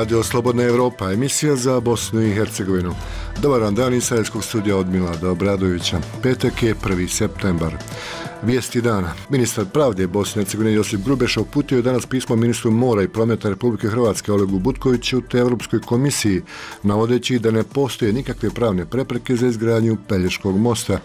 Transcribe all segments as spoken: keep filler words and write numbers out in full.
Radio Slobodna Evropa, emisija za Bosnu i Hercegovinu. Dobar dan iz Sarajevskog studija od Milada Obradovića. Petak je prvi septembar. Vijesti dana. Ministar pravde Bosne i Hercegovine Josip Grubeša uputio je danas pismo ministru mora i prometa Republike Hrvatske Olegu Butkoviću te Europskoj komisiji, navodeći da ne postoje nikakve pravne prepreke za izgradnju Pelješkog mosta.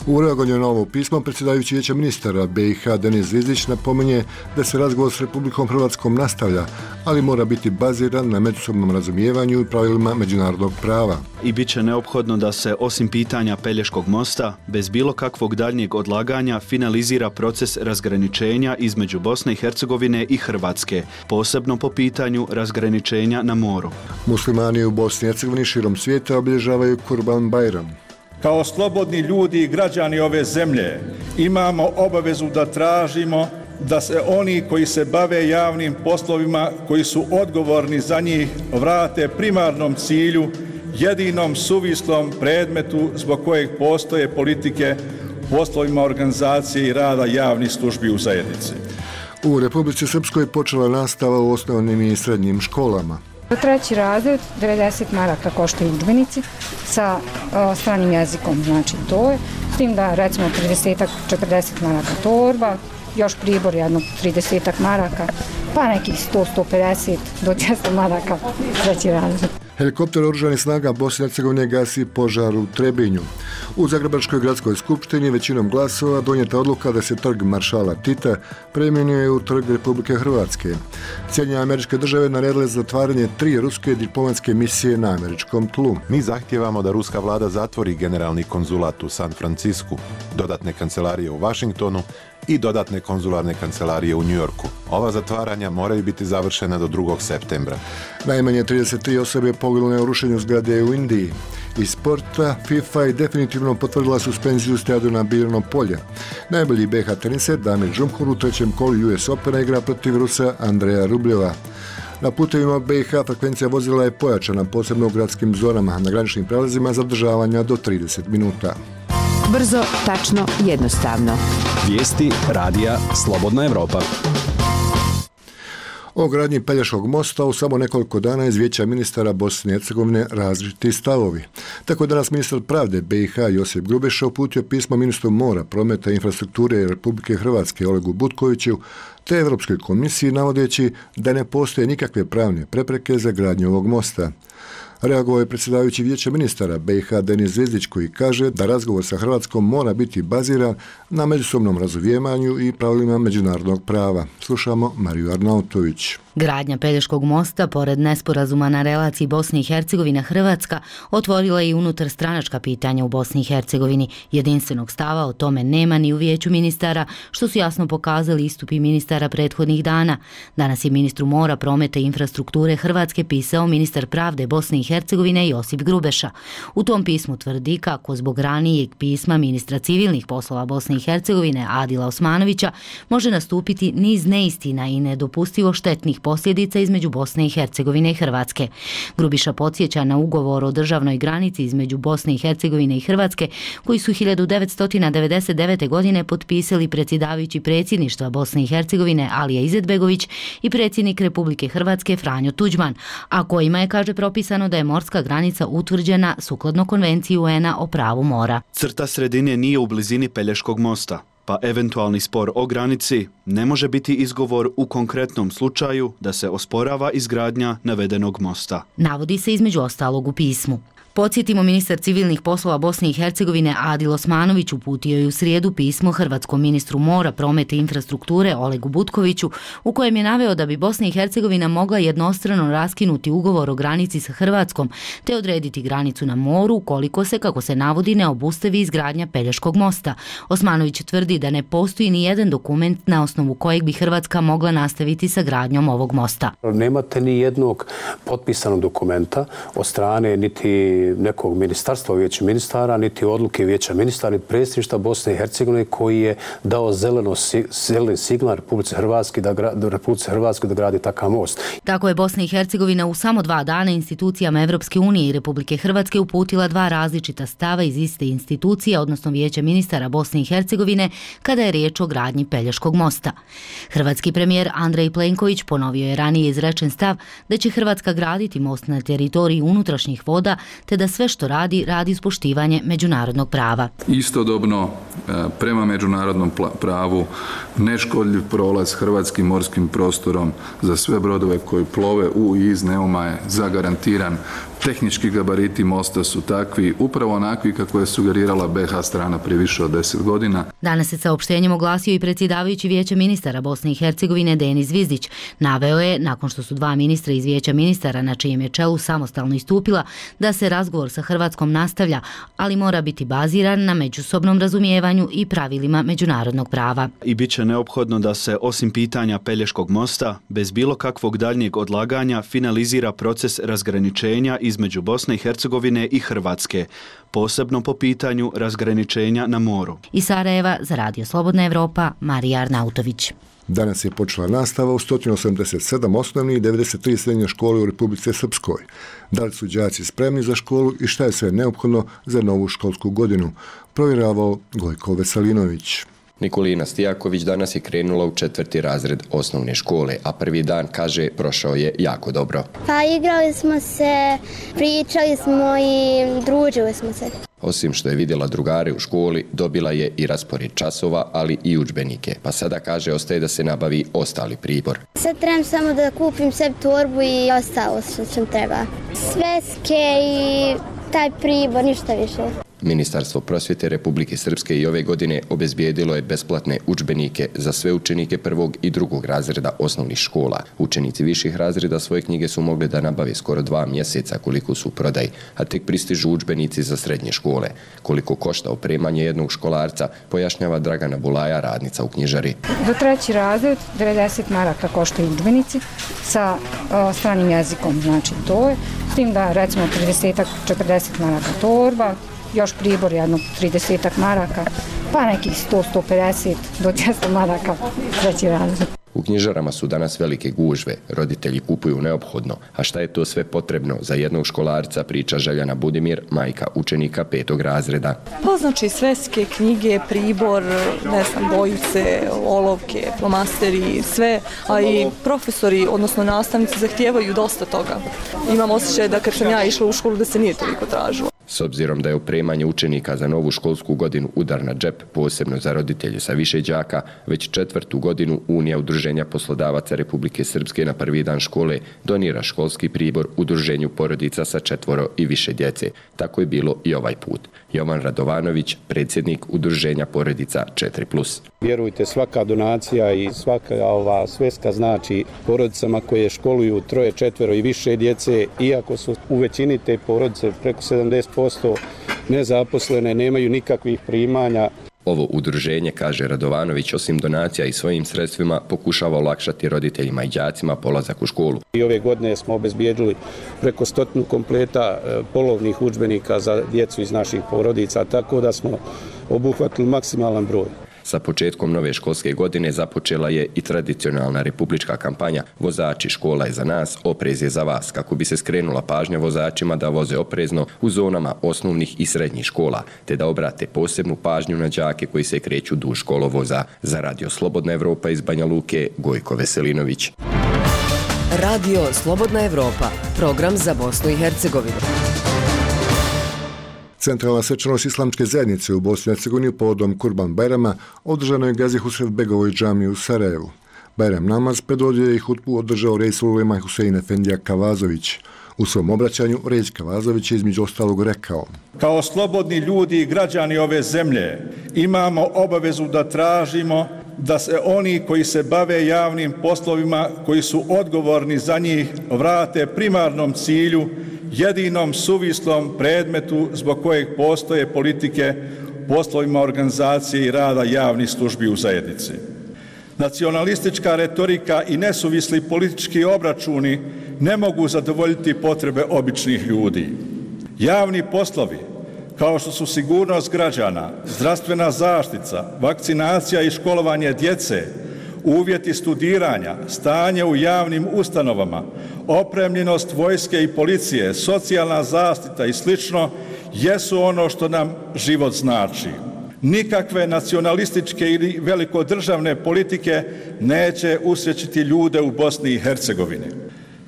U reagovanju na ovo pismo predsjedavajući Vijeća ministara B i H Denis Zvizdić napominje da se razgovor s Republikom Hrvatskom nastavlja, ali mora biti baziran na međusobnom razumijevanju i pravilima međunarodnog prava. I bit će neophodno da se, osim pitanja Pelješkog mosta, bez bilo kakvog daljnjeg odlaganja finalizira proces razgraničenja između Bosne i Hercegovine i Hrvatske, posebno po pitanju razgraničenja na moru. Muslimani u Bosni i Hercegovini širom svijeta obilježavaju Kurban Bajram. Kao slobodni ljudi i građani ove zemlje imamo obavezu da tražimo da se oni koji se bave javnim poslovima, koji su odgovorni za njih, vrate primarnom cilju, jedinom suvislom predmetu zbog kojeg postoje politike, poslovima organizacije i rada javnih službi u zajednici. U Republici Srpskoj počela nastava u osnovnim i srednjim školama. Za treći razred devedeset maraka koštaju udžbenici sa o, stranim jezikom, znači to je, s tim da recimo trideset do četrdeset maraka torba, još pribor jedno trideset maraka, pa nekih sto do sto pedeset do dvjesto maraka treći razred. Helikopter oružanih snaga Bosne i Hercegovine gasi požar u Trebinju. U Zagrebačkoj gradskoj skupštini većinom glasova donijeta odluka da se trg Maršala Tita preimenuje u trg Republike Hrvatske. Sjedinjene Američke Države naredile zatvaranje tri ruske diplomatske misije na američkom tlu. Mi zahtijevamo da ruska vlada zatvori generalni konzulat u San Francisku, dodatne kancelarije u Washingtonu i dodatne konzularne kancelarije u Njujorku. Ova zatvaranja moraju biti završena do drugog septembra. Najmanje trideset tri osobe poginule u rušenju zgrade u Indiji. Iz sporta FIFA je definitivno potvrdila suspenziju stadiona Birno polje. Najbolji B H teniser Damir Džumhur u trećem kolu U S Opena igra protiv Rusa Andreja Rubljeva. Na putevima B i H frekvencija vozila je pojačana, posebno u gradskim zonama, na graničnim prelazima zadržavanja do trideset minuta. Brzo, tačno, jednostavno. Vijesti radija Slobodna Evropa. O gradnji Pelješkog mosta u samo nekoliko dana iz Vijeća ministara Bosne i Hercegovine različiti stavovi. Tako je danas ministar pravde B i H Josip Grubeša uputio pismo ministru mora, prometa i infrastrukture Republike Hrvatske Olegu Butkoviću te Europskoj komisiji, navodeći da ne postoje nikakve pravne prepreke za gradnju ovog mosta. Reagovao je predsjedavajući Vijeća ministara B i H Denis Zvizdić koji kaže da razgovor sa Hrvatskom mora biti baziran na međusobnom razumijevanju i pravilima međunarodnog prava. Slušamo Mariju Arnautović. Gradnja Pelješkog mosta, pored nesporazuma na relaciji Bosne i Hercegovine Hrvatska, otvorila i unutar stranačka pitanja u Bosni i Hercegovini. Jedinstvenog stava o tome nema ni u Vijeću ministara, što su jasno pokazali istupi ministara prethodnih dana. Danas je ministru mora, prometa i infrastrukture Hrvatske pisao ministar pravde Bosne i Hercegovine Josip Grubeša. U tom pismu tvrdi kako zbog ranijeg pisma ministra civilnih poslova Bosne i Hercegovine Adila Osmanovića može nastupiti niz neistina i nedopustivo štetnih posljedica između Bosne i Hercegovine i Hrvatske. Grubiša podsjeća na ugovor o državnoj granici između Bosne i Hercegovine i Hrvatske, koji su hiljadu devetsto devedeset devete. godine potpisali predsjedavajući predsjedništva Bosne i Hercegovine Alija Izetbegović i predsjednik Republike Hrvatske Franjo Tuđman, a kojima je, kaže, propisano da je morska granica utvrđena sukladno Konvenciji U N-a o pravu mora. Crta sredine nije u blizini Pelješkog mosta, pa eventualni spor o granici ne može biti izgovor u konkretnom slučaju da se osporava izgradnja navedenog mosta. Navodi se između ostalog u pismu. Podsjetimo, ministar civilnih poslova Bosne i Hercegovine Adil Osmanović uputio je u srijedu pismo hrvatskom ministru mora, prometa i infrastrukture Olegu Butkoviću, u kojem je naveo da bi Bosna i Hercegovina mogla jednostrano raskinuti ugovor o granici sa Hrvatskom te odrediti granicu na moru ukoliko se, kako se navodi, ne obustavi izgradnja Pelješkog mosta. Osmanović tvrdi da ne postoji ni jedan dokument na osnovu kojeg bi Hrvatska mogla nastaviti sa gradnjom ovog mosta. Nemate ni jednog potpisanog dokumenta od strane niti nekog ministarstva u Vijeću ministara, niti odluke Vijeća ministara, niti predsjedništva Bosne i Hercegovine koji je dao zeleno, zeleni signal Republici Hrvatske da, Republici Hrvatske da gradi takav most. Tako je Bosna i Hercegovina u samo dva dana institucijama Evropske unije i Republike Hrvatske uputila dva različita stava iz iste institucije, odnosno Vijeća ministara Bosne i Hercegovine kada je riječ o gradnji Pelješkog mosta. Hrvatski premijer Andrej Plenković ponovio je ranije izrečen stav da će Hrvatska graditi most na teritoriji unutrašnjih voda, te da sve što radi, radi uz poštivanje međunarodnog prava. Istodobno, prema međunarodnom pravu, neškodljiv prolaz hrvatskim morskim prostorom za sve brodove koji plove u i iz Neuma je zagarantiran. Tehnički gabariti mosta su takvi, upravo onakvi kako je sugerirala be ha strana prije više od deset godina. Danas se saopštenjem oglasio i predsjedavajući Vijeća ministara Bosne i Hercegovine Denis Zvizdić. Naveo je, nakon što su dva ministra iz Vijeća ministara na čijem je čelu samostalno istupila, da se razgovor sa Hrvatskom nastavlja, ali mora biti baziran na međusobnom razumijevanju i pravilima međunarodnog prava. I bit će neophodno da se, osim pitanja Pelješkog mosta, bez bilo kakvog daljnjeg odlaganja finalizira proces razgraničenja između Bosne i Hercegovine i Hrvatske, posebno po pitanju razgraničenja na moru. Iz Sarajeva za Radio Slobodna Evropa, Marija Arnautović. Danas je počela nastava u sto osamdeset sedam osnovnih i devedeset tri srednje škole u Republici Srpskoj. Da li su đaci spremni za školu i šta je sve neophodno za novu školsku godinu? Provjeravao Gojko Veselinović. Nikolina Stijaković danas je krenula u četvrti razred osnovne škole, a prvi dan, kaže, prošao je jako dobro. Pa igrali smo se, pričali smo i družili smo se. Osim što je vidjela drugare u školi, dobila je i raspored časova, ali i udžbenike. Pa sada, kaže, ostaje da se nabavi ostali pribor. Sad trebam samo da kupim sebi torbu i ostalo što sam treba. Sveske i taj pribor, ništa više. Ministarstvo prosvjete Republike Srpske i ove godine obezbijedilo je besplatne udžbenike za sve učenike prvog i drugog razreda osnovnih škola. Učenici viših razreda svoje knjige su mogli da nabave skoro dva mjeseca koliko su u prodaji, a tek pristižu udžbenici za srednje škole. Koliko košta opremanje jednog školarca, pojašnjava Dragana Bulaja, radnica u knjižari. Za treći razred devedeset maraka koštaju udžbenici sa o, stranim jezikom, znači to je. S tim da recimo trideset do četrdeset maraka torba, još pribor jedno trideset maraka, pa nekih sto do sto pedeset do dvjesto maraka treći razred. U knjižarama su danas velike gužve, roditelji kupuju neophodno, a šta je to sve potrebno za jednog školarca, priča Željana Budimir, majka učenika petog razreda. Pa znači sveske, knjige, pribor, ne znam, bojice, olovke, flomasteri, sve, a i profesori, odnosno nastavnici, zahtijevaju dosta toga. Imam osjećaj da kad sam ja išla u školu da se nije toliko tražilo. S obzirom da je opremanje učenika za novu školsku godinu udar na džep, posebno za roditelje sa više đaka, već četvrtu godinu Unija udruženja poslodavaca Republike Srpske na prvi dan škole donira školski pribor udruženju porodica sa četvoro i više djece. Tako je bilo i ovaj put. Jovan Radovanović, predsjednik udruženja porodica četiri plus. Vjerujte, svaka donacija i svaka ova sveska znači porodicama koje školuju troje, četvero i više djece, iako su u većini te porodice preko sedamdeset posto nezaposlene, nemaju nikakvih primanja. Ovo udruženje, kaže Radovanović, osim donacija i svojim sredstvima pokušava olakšati roditeljima i đacima polazak u školu. I ove godine smo obezbijedili preko stotinu kompleta polovnih udžbenika za djecu iz naših porodica, tako da smo obuhvatili maksimalan broj. Sa početkom nove školske godine započela je i tradicionalna republička kampanja Vozači, škola je za nas, oprez je za vas, kako bi se skrenula pažnja vozačima da voze oprezno u zonama osnovnih i srednjih škola, te da obrate posebnu pažnju na đake koji se kreću duž školovoza. Za Radio Slobodna Evropa iz Banja Luke, Gojko Veselinović. Radio Slobodna Evropa, program za Bosnu i Hercegovinu. Centralna svečanost islamske zajednice u Bosni i Hercegovini povodom Kurban Bajrama održano je Gazi Husrevbegovoj džamiji u Sarajevu. Bajram namaz predvodio je i hutbu održao Reisul ulema Husein Efendija Kavazović. U svom obraćanju Reis Kavazović je između ostalog rekao: Kao slobodni ljudi i građani ove zemlje imamo obavezu da tražimo da se oni koji se bave javnim poslovima, koji su odgovorni za njih, vrate primarnom cilju, jedinom suvislom predmetu zbog kojeg postoje politike, poslovima organizacije i rada javnih službi u zajednici. Nacionalistička retorika i nesuvisli politički obračuni ne mogu zadovoljiti potrebe običnih ljudi. Javni poslovi, kao što su sigurnost građana, zdravstvena zaštita, vakcinacija i školovanje djece, uvjeti studiranja, stanje u javnim ustanovama, opremljenost vojske i policije, socijalna zaštita i slično, jesu ono što nam život znači. Nikakve nacionalističke ili velikodržavne politike neće usrećiti ljude u Bosni i Hercegovini.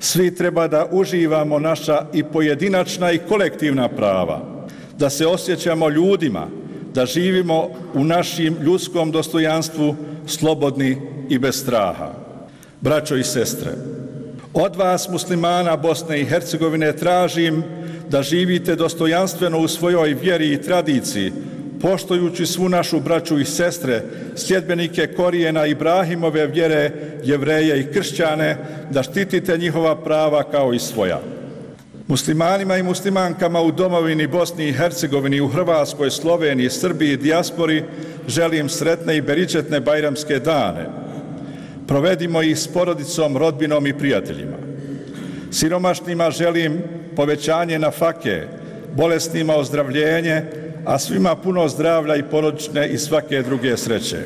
Svi treba da uživamo naša i pojedinačna i kolektivna prava, da se osjećamo ljudima, da živimo u našim ljudskom dostojanstvu slobodni i bez straha. Braćo i sestre, od vas muslimana Bosne i Hercegovine tražim da živite dostojanstveno u svojoj vjeri i tradiciji, poštujući svu našu braću i sestre, sljedbenike korijena Ibrahimove vjere, Jevreje i kršćane, da štitite njihova prava kao i svoja. Muslimanima i muslimankama u domovini Bosni i Hercegovini, u Hrvatskoj, Sloveniji, Srbiji i dijaspori želim sretne i beričetne bajramske dane. Provedimo ih s porodicom, rodbinom i prijateljima. Siromašnima želim povećanje nafake, bolesnima ozdravljenje, a svima puno zdravlja i porodične i svake druge sreće.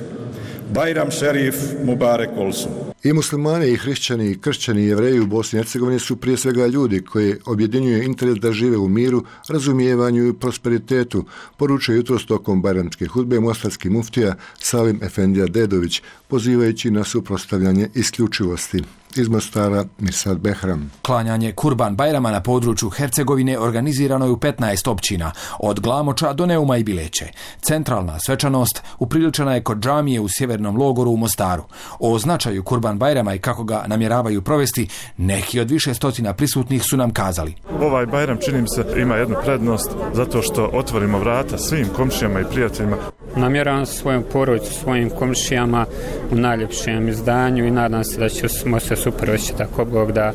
Bajram šerif Mubarek olsun. I muslimani, i hrišćani, i kršćani, i jevreji u Bosni i Hercegovini su prije svega ljudi koji objedinjuju interes da žive u miru, razumijevanju i prosperitetu, poručuje jutros tokom bajramske hudbe mostarski muftija Salim Efendija Dedović, pozivajući na suprotstavljanje isključivosti. Iz Mostara Mirsad Behram. Klanjanje Kurban Bajrama na području Hercegovine organizirano je u petnaest općina, od Glamoča do Neuma i Bileće. Centralna svečanost upriličena je kod džamije u sjevernom logoru u Mostaru. O značaju Kurban Bajrama i kako ga namjeravaju provesti, neki od više stotina prisutnih su nam kazali. Ovaj Bajram, čini mi se, ima jednu prednost zato što otvorimo vrata svim komšijama i prijateljima. Namjeravam svojom porodicu, svojim komšijama u najljepšem izdanju i nadam se da ćemo se super osjećati tako Bog da.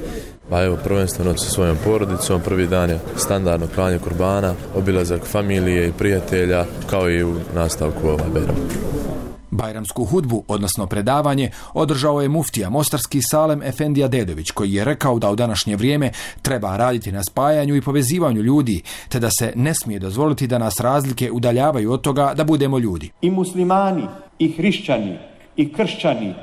Pa evo, prvenstveno sa svojom porodicom, prvi dan je standardno klanje kurbana, obilazak familije i prijatelja, kao i u nastavku ovaj Bajram. Bajramsku hudbu, odnosno predavanje, održao je muftija mostarski Salem Efendija Dedović, koji je rekao da u današnje vrijeme treba raditi na spajanju i povezivanju ljudi, te da se ne smije dozvoliti da nas razlike udaljavaju od toga da budemo ljudi. I muslimani, i hrišćani, i kršćani,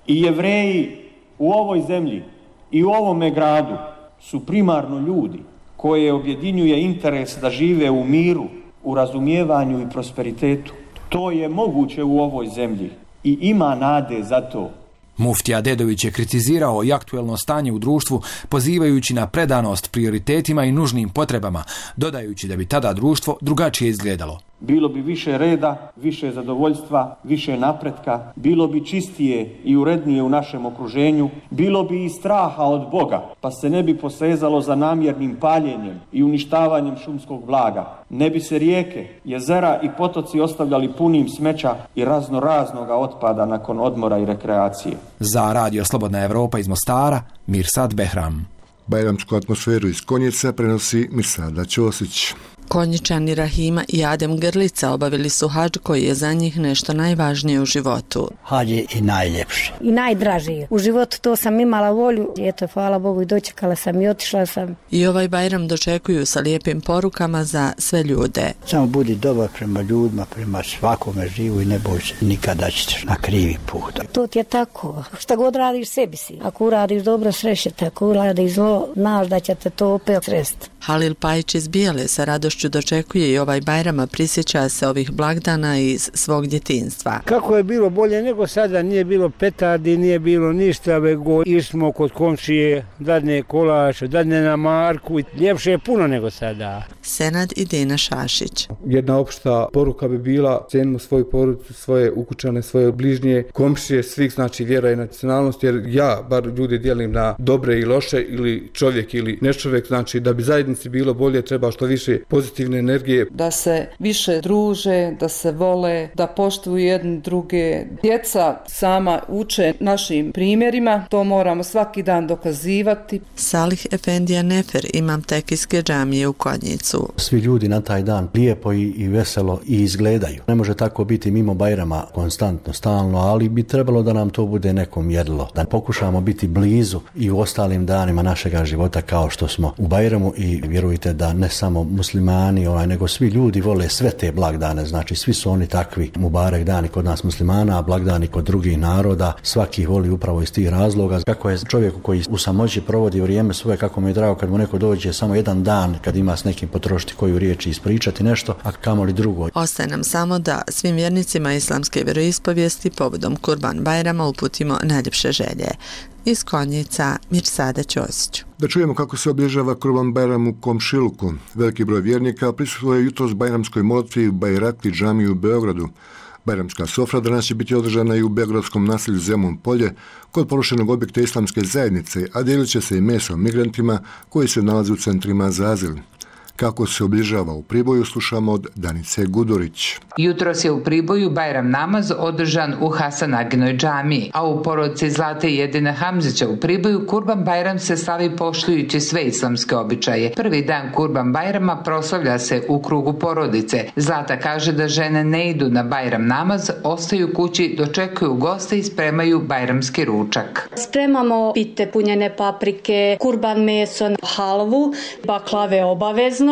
i jevreji u ovoj zemlji i u ovome gradu su primarno ljudi koje objedinjuje interes da žive u miru, u razumijevanju i prosperitetu. To je moguće u ovoj zemlji i ima nade za to. Muftija Dedović je kritizirao i aktuelno stanje u društvu, pozivajući na predanost prioritetima i nužnim potrebama, dodajući da bi tada društvo drugačije izgledalo. Bilo bi više reda, više zadovoljstva, više napretka, bilo bi čistije i urednije u našem okruženju, bilo bi i straha od Boga, pa se ne bi posezalo za namjernim paljenjem i uništavanjem šumskog blaga. Ne bi se rijeke, jezera i potoci ostavljali punim smeća i razno raznoga otpada nakon odmora i rekreacije. Za Radio Slobodna Evropa iz Mostara, Mirsad Behram. Bajramsku atmosferu iz Konjica prenosi Mirsada Ćosić. Konjičani Rahima i Adem Grlica obavili su hadž koji je za njih nešto najvažnije u životu. Hadž je i najljepši. I najdraži. U životu to sam imala volju. Eto, hvala Bogu, i dočekala sam i otišla sam. I ovaj Bajram dočekuju sa lijepim porukama za sve ljude. Samo budi dobar prema ljudima, prema svakome živu i ne boj se nikada ćeš na krivi put. To ti je tako. Šta god radiš, sebi si. Ako uradiš dobro, srećete. Ako uradiš zlo, znaš da će te to opet sresti. Halil Pajić iz Bijele sa radošću dočekuje i ovaj Bajrama, prisjeća se ovih blagdana iz svog djetinjstva. Kako je bilo bolje nego sada, nije bilo petardi, nije bilo ništa, vego išmo kod komšije, dadne kolač, dadne na marku, ljepše je puno nego sada. Senad i Dina Šašić. Jedna opšta poruka bi bila: cenimo svoju porodicu, svoje ukućane, svoje bližnje, komšije, svih, znači vjera i nacionalnost, jer ja bar ljudi dijelim na dobre i loše, ili čovjek ili nečovjek, znači da bi zajednici bilo bolje treba što više pozitivne energije. Da se više druže, da se vole, da poštuju jedne druge. Djeca sama uče našim primjerima, to moramo svaki dan dokazivati. Salih Efendija Nefer, imam tekijske džamije u Konjicu. Svi ljudi na taj dan lijepo i, i veselo i izgledaju. Ne može tako biti mimo Bajrama konstantno, stalno, ali bi trebalo da nam to bude neko mjerilo. Da pokušamo biti blizu i u ostalim danima našega života kao što smo u Bajramu, i vjerujte da ne samo muslimani, onaj, nego svi ljudi vole sve te blagdane, znači svi su oni takvi. Mubarek dani kod nas muslimana, a blagdani kod drugih naroda, svaki ih voli upravo iz tih razloga. Kako je čovjeku koji u samoći provodi vrijeme svoje, kako mi je drago kad mu neko dođe samo jedan dan, kad ima s nekim potrošiti potrošiti koju riječ i ispričati nešto, a kamoli drugo. Ostaje nam samo da svim vjernicima islamske vjeroispovijesti povodom Kurban Bajrama uputimo najljepše želje. Iz Konjica, Mirsada Ćosić. Da čujemo kako se obilježava Kurban Bajram u komšiluku. Veliki broj vjernika prisustvuje jutros bajramskoj molitvi u Bajrakli džamiji u Beogradu. Bajramska sofra danas će biti održana i u beogradskom naselju Zemun polje kod porušenog objekta islamske zajednice, a dijelit će se i meso migrantima koji se nalaze u centrima za azil. Kako se obilježava u Priboju, slušamo od Danice Gudurić. Jutros je u Priboju Bajram namaz održan u Hasanaginoj džamiji, a u porodici Zlate i Edina Hamzića u Priboju Kurban Bajram se slavi poštujući sve islamske običaje. Prvi dan Kurban Bajrama proslavlja se u krugu porodice. Zlata kaže da žene ne idu na Bajram namaz, ostaju kući, dočekuju goste i spremaju bajramski ručak. Spremamo pite punjene paprike, kurban meso, halvu, baklave obavezno,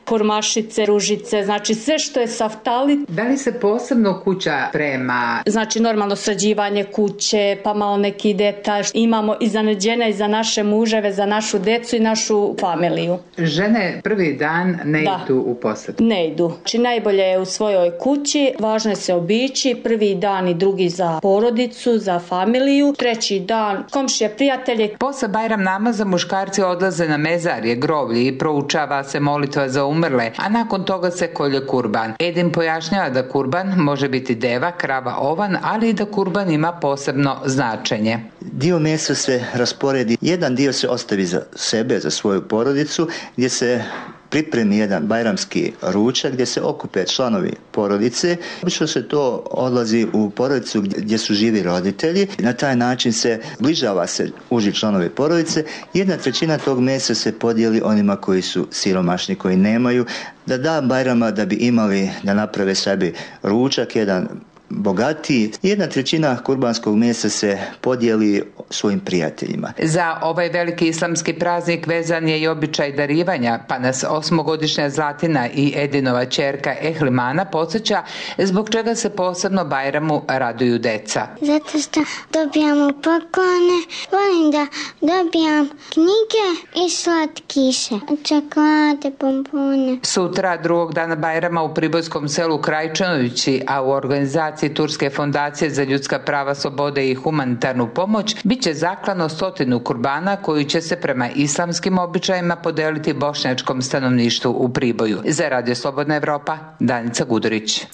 kurmašice, ružice, znači sve što je saftali. Da li se posebno kuća sprema? Znači normalno sređivanje kuće, pa malo neki detalj. Imamo iznenađenja i za naše muževe, za našu decu i našu familiju. Žene prvi dan ne da. idu u posjetu? Ne idu. Znači najbolje je u svojoj kući, važno je se obići, prvi dan i drugi za porodicu, za familiju, treći dan komšije, prijatelje. Posle Bajram namaza muškarci odlaze na mezarje, groblje i proučava se molitva za umrle, a nakon toga se kolje kurban. Edin pojašnjava da kurban može biti deva, krava, ovan, ali i da kurban ima posebno značenje. Dio mesa se rasporedi, jedan dio se ostavi za sebe, za svoju porodicu, gdje se pripremi jedan bajramski ručak gdje se okupe članovi porodice. Obično se to odlazi u porodicu gdje su živi roditelji. Na taj način se bližava se uži članovi porodice. Jedna trećina tog mesa se podijeli onima koji su siromašni, koji nemaju, da da Bajrama da bi imali da naprave sebi ručak, jedan bogatiji. Jedna trećina kurbanskog mesa se podijeli svojim prijateljima. Za ovaj veliki islamski praznik vezan je i običaj darivanja, pa nas osmogodišnja Zlatina i Edinova ćerka Ehlimana podsjeća zbog čega se posebno Bajramu raduju deca. Zato što dobijamo poklone, volim da dobijam knjige i slatkiše, čokolade, bombone. Sutra, drugog dana Bajrama u pribojskom selu Krajčanovići, a u organizaciji Turske fondacije za ljudska prava, slobode i humanitarnu pomoć, bit će zaklano stotinu kurbana koji će se prema islamskim običajima podeliti bošnjačkom stanovništvu u Priboju. Za Radio Slobodna Evropa, Danica Gudurić.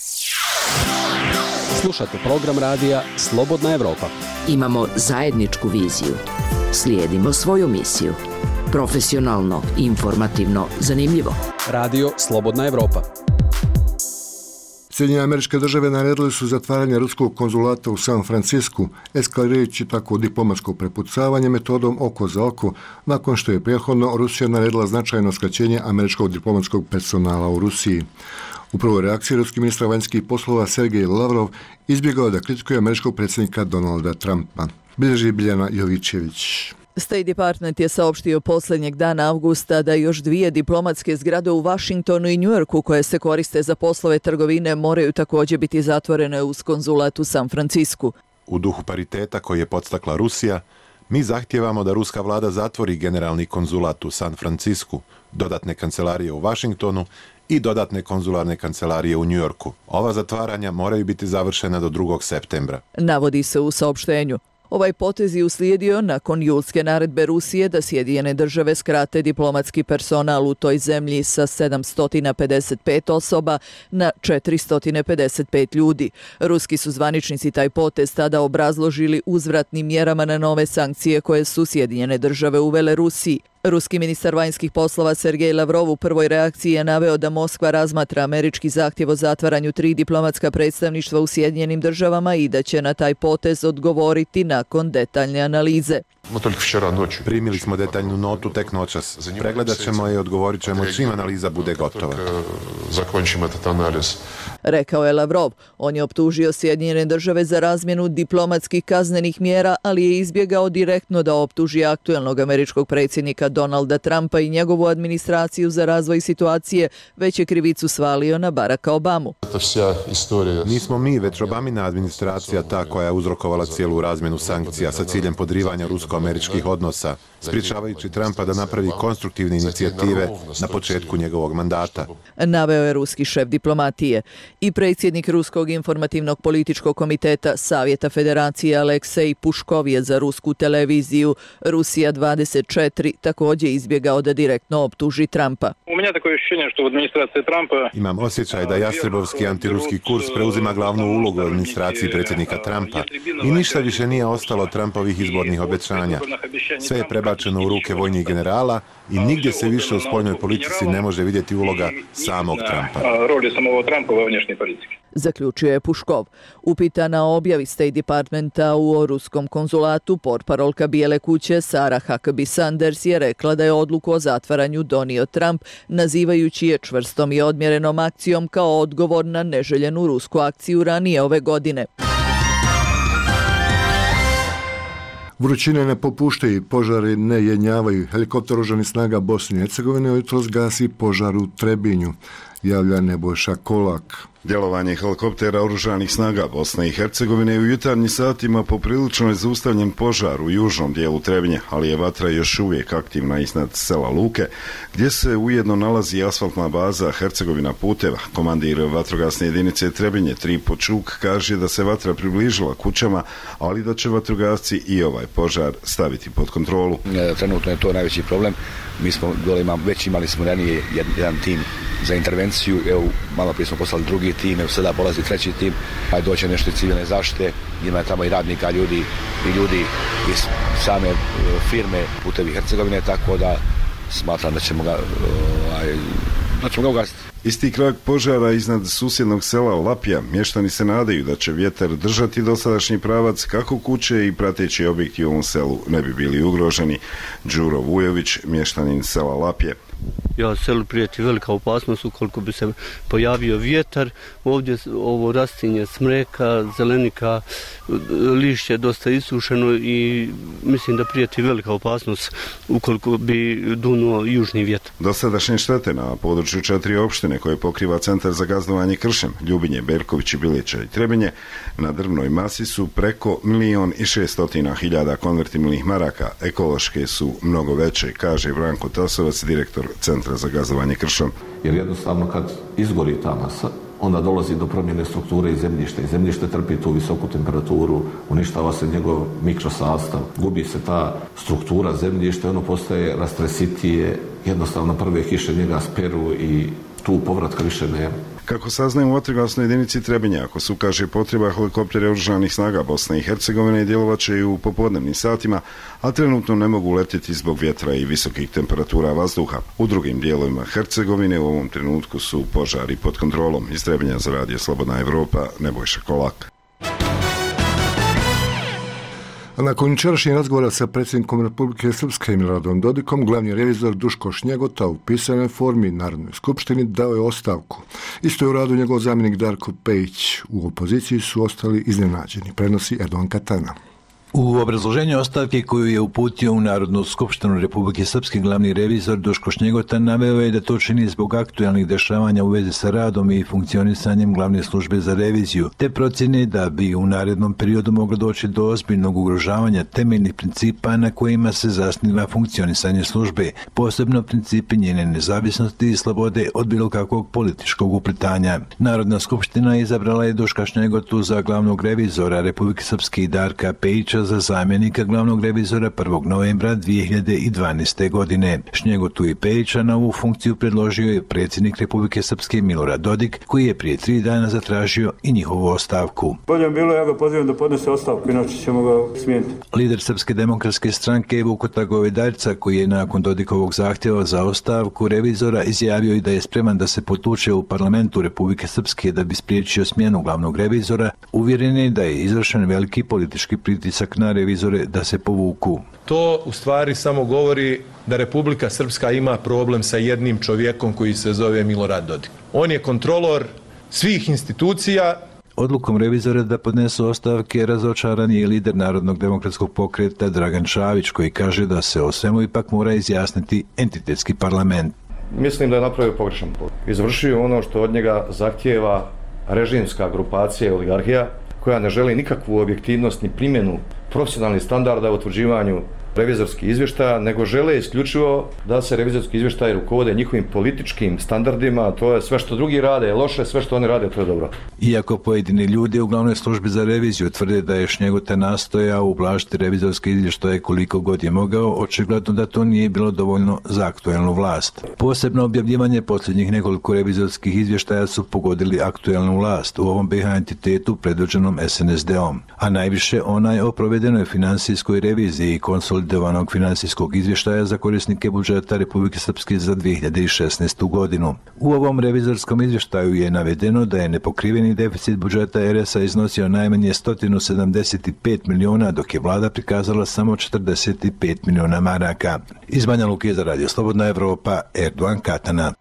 Slušate program radija Slobodna Evropa. Imamo zajedničku viziju. Slijedimo svoju misiju. Profesionalno, informativno, zanimljivo. Radio Slobodna Evropa. Sjedinjene Američke Države naredile su zatvaranje ruskog konzulata u San Francisku, eskalirajući tako diplomatsko prepucavanje metodom oko za oko, nakon što je prethodno Rusija naredila značajno skraćenje američkog diplomatskog personala u Rusiji. U prvoj reakciji ruski ministar vanjskih poslova Sergej Lavrov izbjegao da kritikuje američkog predsjednika Donalda Trumpa. Bilježi Biljana Jovićević. State Department je saopštio posljednjeg dana avgusta da još dvije diplomatske zgrade u Washingtonu i Njujorku koje se koriste za poslove trgovine moraju također biti zatvorene uz konzulat u San Francisku. U duhu pariteta koji je podstakla Rusija, mi zahtijevamo da ruska vlada zatvori generalni konzulat u San Francisku, dodatne kancelarije u Washingtonu i dodatne konzularne kancelarije u Njujorku. Ova zatvaranja moraju biti završena do drugog septembra. Navodi se u saopštenju. Ovaj potez je uslijedio nakon julske naredbe Rusije da Sjedinjene Države skrate diplomatski personal u toj zemlji sa sedamsto pedeset pet osoba na četiristo pedeset pet ljudi. Ruski su zvaničnici taj potez tada obrazložili uzvratnim mjerama na nove sankcije koje su Sjedinjene Države uvele Rusiji. Ruski ministar vanjskih poslova Sergej Lavrov u prvoj reakciji je naveo da Moskva razmatra američki zahtjev o zatvaranju tri diplomatska predstavništva u Sjedinjenim Državama i da će na taj potez odgovoriti nakon detaljne analize. Primili smo detaljnu notu tek noćas. Pregledat ćemo i odgovorit ćemo čim analiza bude gotova. Rekao je Lavrov. On je optužio Sjedinjene Države za razmjenu diplomatskih kaznenih mjera, ali je izbjegao direktno da optuži aktuelnog američkog predsjednika Donalda Trumpa i njegovu administraciju za razvoj situacije, već je krivicu svalio na Baracka Obamu. Nismo mi, već Obamina administracija ta koja je uzrokovala cijelu razmjenu sankcija sa ciljem podrivanja rusko rusko-američkih odnosa, sprječavajući Trumpa da napravi konstruktivne inicijative na početku njegovog mandata. Naveo je ruski šef diplomatije. I predsjednik Ruskog informativnog političkog komiteta Savjeta Federacije Aleksej Puškov je za rusku televiziju Rusija dvadeset četiri također izbjegao da direktno optuži Trumpa. Imam osjećaj da Jastrebovski antiruski kurs preuzima glavnu ulogu u administraciji predsjednika Trumpa i ništa više nije ostalo Trumpovih izbornih obećanja. Sve je prebačeno u ruke vojnih generala i nigdje se više u spoljnoj politici ne može vidjeti uloga samog Trumpa. Zaključio je Puškov. Upitana o objavi State Departmenta u ruskom konzulatu, portparolka Bijele kuće Sarah Huckabee Sanders je rekla da je odluku o zatvaranju donio Trump, nazivajući je čvrstom i odmjerenom akcijom kao odgovor na neželjenu rusku akciju ranije ove godine. Vrućine ne popuštaju, požari ne jenjavaju. Helikopter oružanih snaga Bosne i Hercegovine jutros gasi požar u Trebinju, javlja Nebojša Kolak. Djelovanje helikoptera oružanih snaga Bosne i Hercegovine u jutarnjim satima poprilično je zaustavljen požar u južnom dijelu Trebinja, ali je vatra još uvijek aktivna iznad sela Luke, gdje se ujedno nalazi asfaltna baza Hercegovina puteva. Komandir vatrogasne jedinice Trebinje Tripo Čuk kaže da se vatra približila kućama, ali da će vatrogasci i ovaj požar staviti pod kontrolu. Trenutno je to najveći problem. Mi smo dole imali, već imali smo ranije jedan tim za intervenciju, evo malo prije smo poslali drugi tim, evo sada polazi treći tim, a doće nešto civilne zaštite, ima tamo i radnika, ljudi i ljudi iz same firme Putevi Hercegovine, tako da smatram da ćemo ga, ovaj, da ćemo ga ugasiti. Isti krak požara iznad susjednog sela Lapija, mještani se nadaju da će vjetar držati dosadašnji pravac kako kuće i prateći objekti u ovom selu ne bi bili ugroženi. Đuro Vujović, mještanin sela Lapje. Ja, selu prijeti velika opasnost ukoliko bi se pojavio vjetar. Ovdje ovo rastinje smreka, zelenika, lišće je dosta isušeno i mislim da prijeti velika opasnost ukoliko bi dunuo južni vjetar. Dosadašnje štete na području četiri opštine koje pokriva Centar za gazdovanje kršem, Ljubinje, Berković, Bilića i Trebinje, na drvnoj masi su preko milion i šestotina hiljada konvertibilnih maraka. Ekološke su mnogo veće, kaže Branko Tasovac, direktor Centra za gazdovanje kršom. Jer jednostavno kad izgori ta masa, onda dolazi do promjene strukture i zemljišta. I zemljište trpi tu visoku temperaturu, uništava se njegov mikrosastav, gubi se ta struktura zemljišta, ono postaje rastresitije, jednostavno prve kiše njega speru i tu povratka više nema. Kako saznajemo u vatrogasnoj jedinici Trebinja, ako se ukaže potreba, helikopteri oružanih snaga Bosne i Hercegovine djelovat će i u popodnevnim satima, a trenutno ne mogu letjeti zbog vjetra i visokih temperatura vazduha. U drugim dijelovima Hercegovine u ovom trenutku su požari pod kontrolom. Iz Trebinja za Radio Slobodna Evropa, Nebojša Kolak. A nakon jučerašnjeg razgovora sa predsjednikom Republike Srpske Miloradom Dodikom, glavni revizor Duško Šnjegota u pisanoj formi Narodnoj skupštini dao je ostavku. Isto je u radu njegov zamjenik Darko Pejić. U opoziciji su ostali iznenađeni, prenosi Erdogan Katana. U obrazloženju ostavke koju je uputio u Narodnu skupštinu Republike Srpske glavni revizor Duško Šnjegota naveo je da to čini zbog aktualnih dešavanja u vezi sa radom i funkcionisanjem glavne službe za reviziju, te procjene da bi u narednom periodu moglo doći do ozbiljnog ugrožavanja temeljnih principa na kojima se zasniva funkcionisanje službe, posebno principi njene nezavisnosti i slobode od bilo kakvog političkog uplitanja. Narodna skupština izabrala je Duška Šnjegotu za glavnog revizora Republike Srpske i Darka Pejića za zamjenika glavnog revizora prvog novembra dvije hiljade dvanaeste. godine. Šnjegotu i Pejića na ovu funkciju predložio je predsjednik Republike Srpske Milorad Dodik, koji je prije tri dana zatražio i njihovu ostavku. Bolje bilo, ja ga pozivam da podnese ostavku, inače ćemo ga smijeniti. Lider Srpske demokratske stranke Vukota Govedaljca, koji je nakon Dodikovog zahtjeva za ostavku revizora izjavio i da je spreman da se potuče u parlamentu Republike Srpske da bi spriječio smjenu glavnog revizora, uvjeren je da je izvršen veliki politički pritisak na revizore da se povuku. To u stvari samo govori da Republika Srpska ima problem sa jednim čovjekom koji se zove Milorad Dodik. On je kontrolor svih institucija. Odlukom revizora da podnesu ostavke razočaran je lider Narodnog demokratskog pokreta Dragan Čavić, koji kaže da se o svemu ipak mora izjasniti entitetski parlament. Mislim da je napravio pogrešan put. Izvršio ono što od njega zahtijeva režimska grupacija i oligarhija, koja ne želi nikakvu objektivnost ni primjenu profesionalnih standarda u utvrđivanju revizorskih izvještaja, nego žele isključivo da se revizorski izvještaji rukovode njihovim političkim standardima, to je sve što drugi rade je loše, sve što oni rade to je dobro. Iako pojedini ljudi u glavnoj službi za reviziju tvrde da je Šnjegota nastojao ublažiti revizorske izvještaje koliko god je mogao, očigledno da to nije bilo dovoljno za aktuelnu vlast. Posebno objavljivanje posljednjih nekoliko revizorskih izvještaja su pogodili aktuelnu vlast u ovom be ha entitetu predvođenom es en es de-om, a najviše onaj o provedenoj finansijskoj reviziji i konsolidovanog finansijskog izvještaja za korisnike budžeta Republike Srpske za dvije hiljade šesnaestu godinu. U ovom revizorskom izvještaju je navedeno da je nepokriveni deficit budžeta er es a iznosio najmanje sto sedamdeset pet miliona, dok je vlada prikazala samo četrdeset pet miliona maraka. Iz Banja Luke za Radio Slobodna Evropa, Erdogan Katana.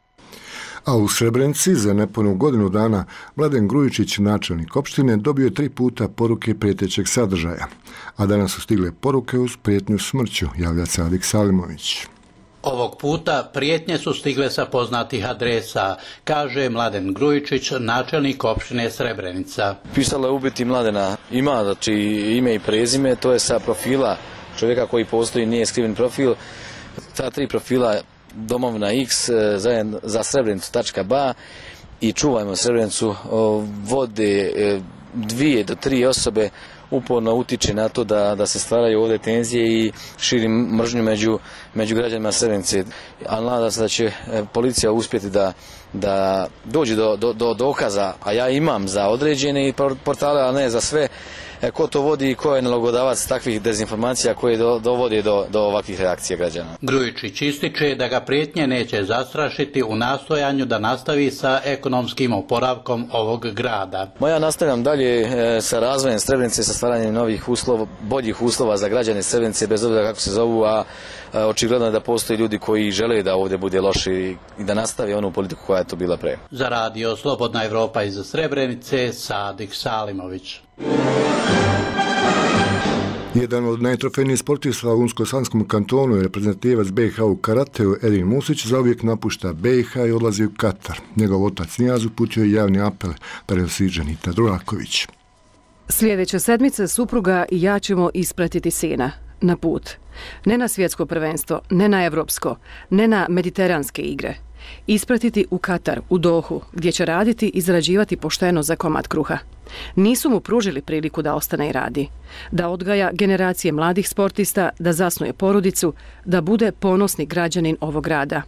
A u Srebrenici za nepunu godinu dana Mladen Grujičić, načelnik opštine, dobio je tri puta poruke prijetećeg sadržaja, a danas su stigle poruke uz prijetnju smrću, javlja Sadik Salimović. Ovog puta prijetnje su stigle sa poznatih adresa, kaže Mladen Grujičić, načelnik opštine Srebrenica. Pisalo je ubiti Mladena, ima znači ime i prezime, to je sa profila čovjeka koji postoji, nije skriven profil. Ta tri profila Domovina X za Srebrenicu tačka ba i Čuvajmo Srebrenicu vode dvije do tri osobe, uporno utiče na to da, da se stvaraju ovdje tenzije i širi mržnju među, među građanima Srebrenice. Ali nadam se da će policija uspjeti da, da dođe do, do, do dokaza, a ja imam za određene portale, a ne za sve. E, ko to vodi i ko je nalogodavac takvih dezinformacija koje do, dovode do, do ovakvih reakcija građana. Grujičić ističe da ga prijetnje neće zastrašiti u nastojanju da nastavi sa ekonomskim oporavkom ovog grada. Moja nastavljam dalje e, sa razvojem Srebrenice, sa stvaranjem novih uslova, boljih uslova za građane Srebrenice, bez obzira kako se zovu, a e, očigledno je da postoje ljudi koji žele da ovdje bude loše i da nastavi onu politiku koja je to bila pre. Za Radio Slobodna Evropa iz Srebrenice, Sadik Salimović. Jedan od najtrofejnijih sportista u Unsko-Sanskom kantonu je reprezentativac be ha u karateu Edin Musić zauvijek napušta be ha i odlazi u Katar. Njegov otac Nijaz uputio je javni apel, prenosi Dženita Duraković. Sljedeće sedmice supruga i ja ćemo ispratiti sina na put. Ne na svjetsko prvenstvo, ne na evropsko, ne na mediteranske igre. Ispratiti u Katar, u Dohu, gdje će raditi i zarađivati pošteno za komad kruha. Nisu mu pružili priliku da ostane i radi, da odgaja generacije mladih sportista, da zasnuje porodicu, da bude ponosni građanin ovog grada.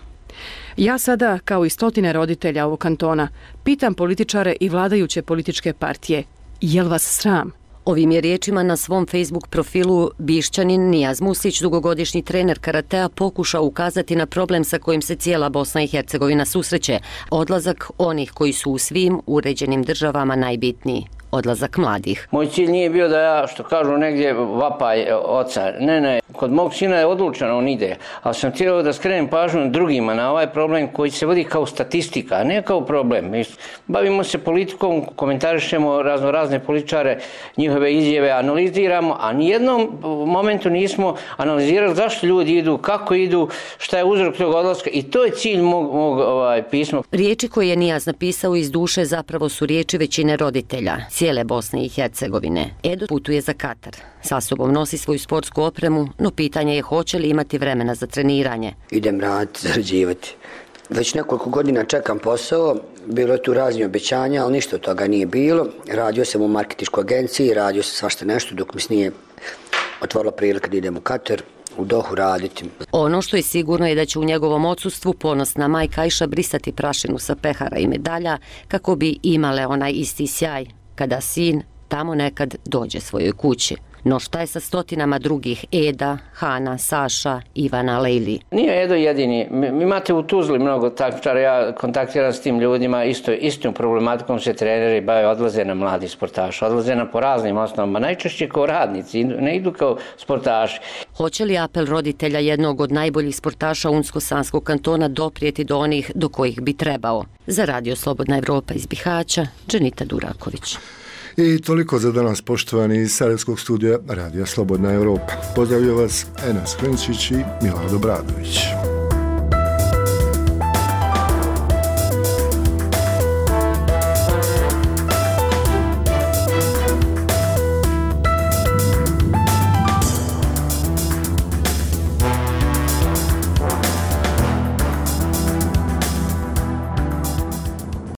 Ja sada, kao i stotine roditelja ovog kantona, pitam političare i vladajuće političke partije, jel vas sram? Ovim je riječima na svom Facebook profilu Bišćanin Nijaz Musić, dugogodišnji trener karatea, pokušao ukazati na problem sa kojim se cijela Bosna i Hercegovina susreće. Odlazak onih koji su u svim uređenim državama najbitniji. Odlazak mladih. Moj cilj nije bio da ja, što kažu negdje, vapaj oca. Ne, ne, kod mog sina je odlučeno, on ide. Ali sam htio da skrenem pažnju drugima na ovaj problem koji se vodi kao statistika, a ne kao problem. Bavimo se politikom, komentarišemo razno razne političare, njihove izjave analiziramo, a nijednom momentu nismo analizirali zašto ljudi idu, kako idu, šta je uzrok tog odlaska i to je cilj mog, mog ovaj, pisma. Riječi koje je Nijaz napisao iz duše zapravo su riječi većine roditelja cijele Bosne i Hercegovine. Edo putuje za Katar. Sa sobom nosi svoju sportsku opremu, no pitanje je hoće li imati vremena za treniranje. Idem raditi, zarađivati. Već nekoliko godina čekam posao, bilo je tu raznih obećanja, ali ništa od toga nije bilo. Radio sam u marketinškoj agenciji, radio sam svašta nešto dok mi se nije otvorila prilika da idem u Katar, u Dohu raditi. Ono što je sigurno je da će u njegovom odsustvu ponosna majka Ajša brisati prašinu sa pehara i medalja kako bi imale onaj isti sjaj kada sin tamo nekad dođe svojoj kući. No šta je sa stotinama drugih Eda, Hana, Saša, Ivana, Lejli? Nije Edo jedini. Imate u Tuzli mnogo takmičara, ja kontaktiram s tim ljudima, isto, istom problematikom se treneri bave, odlaze na mladi sportaši, odlaze na po raznim osnovama, najčešće kao radnici, ne idu kao sportaši. Hoće li apel roditelja jednog od najboljih sportaša Unsko-Sanskog kantona doprijeti do onih do kojih bi trebao? Za Radio Slobodna Evropa iz Bihaća, Dženita Duraković. I toliko za danas, poštovani iz Sarajevskog studija Radija Slobodna Evropa. Pozdravljaju vas Enes Krenčić i Milorad Obradović.